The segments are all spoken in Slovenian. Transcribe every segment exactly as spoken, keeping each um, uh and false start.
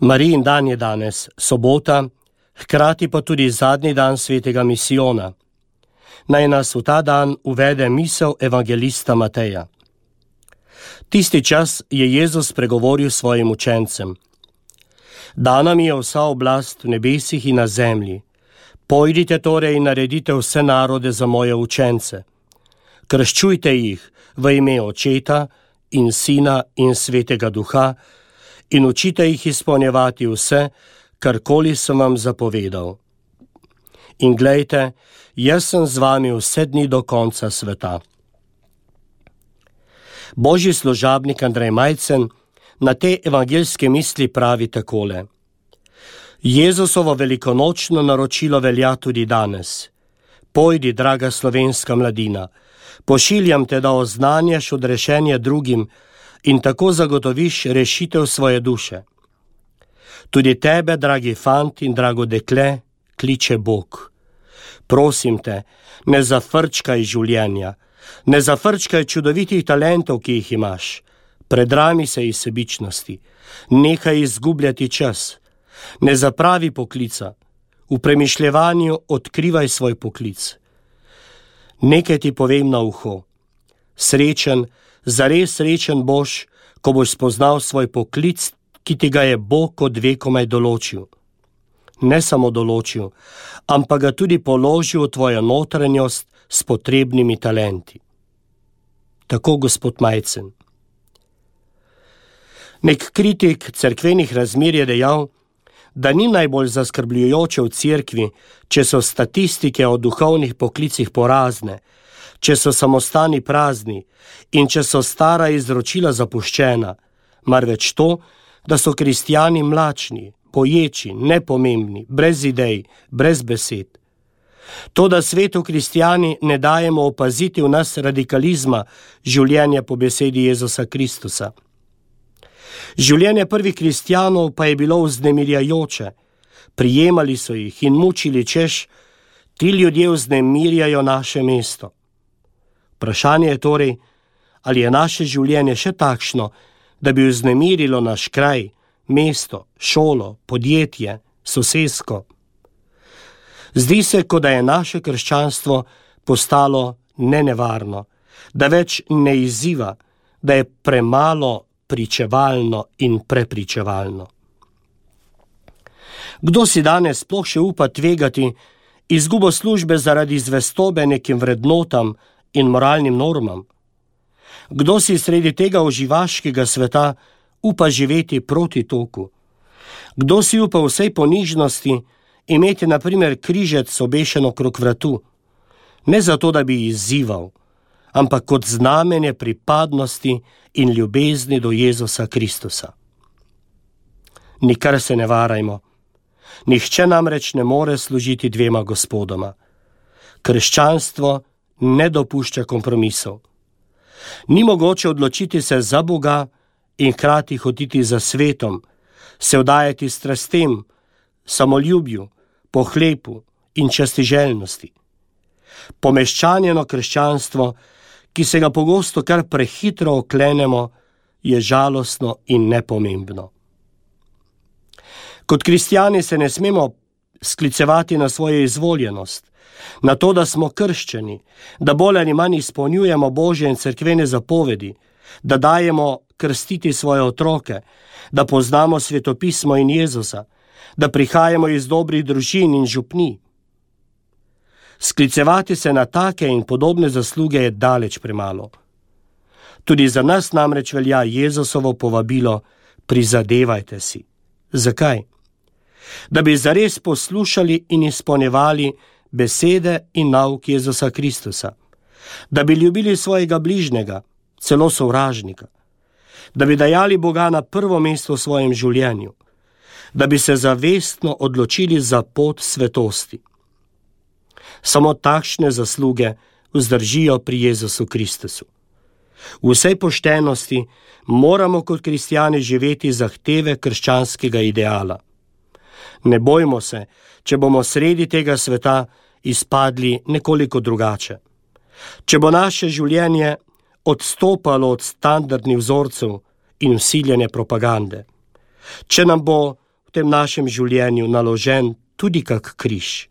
Marijin dan je danes, sobota, hkrati pa tudi zadnji dan svetega misijona. Naj nas v ta dan uvede misel evangelista Mateja. Tisti čas je Jezus pregovoril svojim učencem. Dana mi je vsa oblast v nebesih in na zemlji. Pojdite torej in naredite vse narode za moje učence. Krščujte jih v ime Očeta in Sina in Svetega Duha in učite jih izpolnjevati vse, karkoli sem vam zapovedal. In glejte, jaz sem z vami vse dni do konca sveta. Božji služabnik Andrej Majcen na te evangelske misli pravi takole. Jezusovo velikonočno naročilo velja tudi danes. Pojdi, draga slovenska mladina, pošiljam te, da oznanjaš odrešenje drugim in tako zagotoviš rešitev svoje duše. Tudi tebe, dragi fant in drago dekle, kliče Bog. Prosim te, ne zafrčkaj življenja, ne zafrčkaj čudovitih talentov, ki jih imaš. Predrami se iz sebičnosti, nehaj izgubljati čas. Ne zapravi poklica, v premišljevanju odkrivaj svoj poklic. Nekaj ti povem na uho. Srečen, zares srečen boš, ko boš spoznal svoj poklic, ki ti ga je Bog od vekomaj določil. Ne samo določil, ampak ga tudi položil v tvojo notranjost s potrebnimi talenti. Tako gospod Majcen. Nek kritik cerkvenih razmer je dejal, da ni najbolj zaskrbljujoče v cerkvi, če so statistike o duhovnih poklicih porazne, če so samostani prazni in če so stara izročila zapuščena, marveč to, da so kristjani mlačni, poječi, nepomembni, brez idej, brez besed. To, da svetu kristjani ne dajemo opaziti v nas radikalizma življenja po besedi Jezusa Kristusa. Življenje prvih kristjanov pa je bilo vznemirjajoče. Prijemali so jih in mučili, češ, ti ljudje vznemirjajo naše mesto. Vprašanje je torej, ali je naše življenje še takšno, da bi vznemirilo naš kraj, mesto, šolo, podjetje, sosesko. Zdi se, kot da je naše krščanstvo postalo nenevarno, da več ne izziva, da je premalo pričevalno in prepričevalno. Kdo si danes sploh še upa tvegati izgubo službe zaradi zvestobe nekim vrednotam in moralnim normam? Kdo si sredi tega uživaškega sveta upa živeti proti toku? Kdo si upa v vsej ponižnosti imeti na primer križec obešen okrog vratu? Ne zato, da bi izzival, ampak kot znamenje pripadnosti in ljubezni do Jezusa Kristusa. Nikar se ne varajmo. Nihče namreč ne more služiti dvema gospodoma. Krščanstvo ne dopušča kompromisov. Ni mogoče odločiti se za Boga in hkrati hoditi za svetom, se vdajati strastem, samoljubju, pohlepu in častiželjnosti. Pomeščanjeno krščanstvo, ki se ga pogosto kar prehitro oklenemo, je žalostno in nepomembno. Kot kristjani se ne smemo sklicevati na svojo izvoljenost, na to, da smo krščeni, da bolj ali manj izpolnjujemo Božje in cerkvene zapovedi, da dajemo krstiti svoje otroke, da poznamo svetopismo in Jezusa, da prihajamo iz dobrih družin in župnij. Sklicevati se na take in podobne zasluge je daleč premalo. Tudi za nas namreč velja Jezusovo povabilo, prizadevajte si. Zakaj? Da bi zares poslušali in izpolnjevali besede in nauk Jezusa Kristusa. Da bi ljubili svojega bližnjega, celo sovražnika. Da bi dajali Boga na prvo mesto v svojem življenju. Da bi se zavestno odločili za pot svetosti. Samo takšne zasluge vzdržijo pri Jezusu Kristusu. V vsej poštenosti moramo kot kristjani živeti zahteve krščanskega ideala. Ne bojmo se, če bomo sredi tega sveta izpadli nekoliko drugače. Če bo naše življenje odstopalo od standardnih vzorcev in vsiljene propagande. Če nam bo v tem našem življenju naložen tudi kak križ.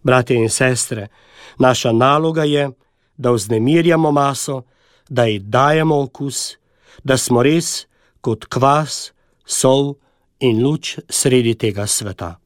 Bratje in sestre, naša naloga je, da vznemirjamo maso, da ji dajemo okus, da smo res kot kvas, sol in luč sredi tega sveta.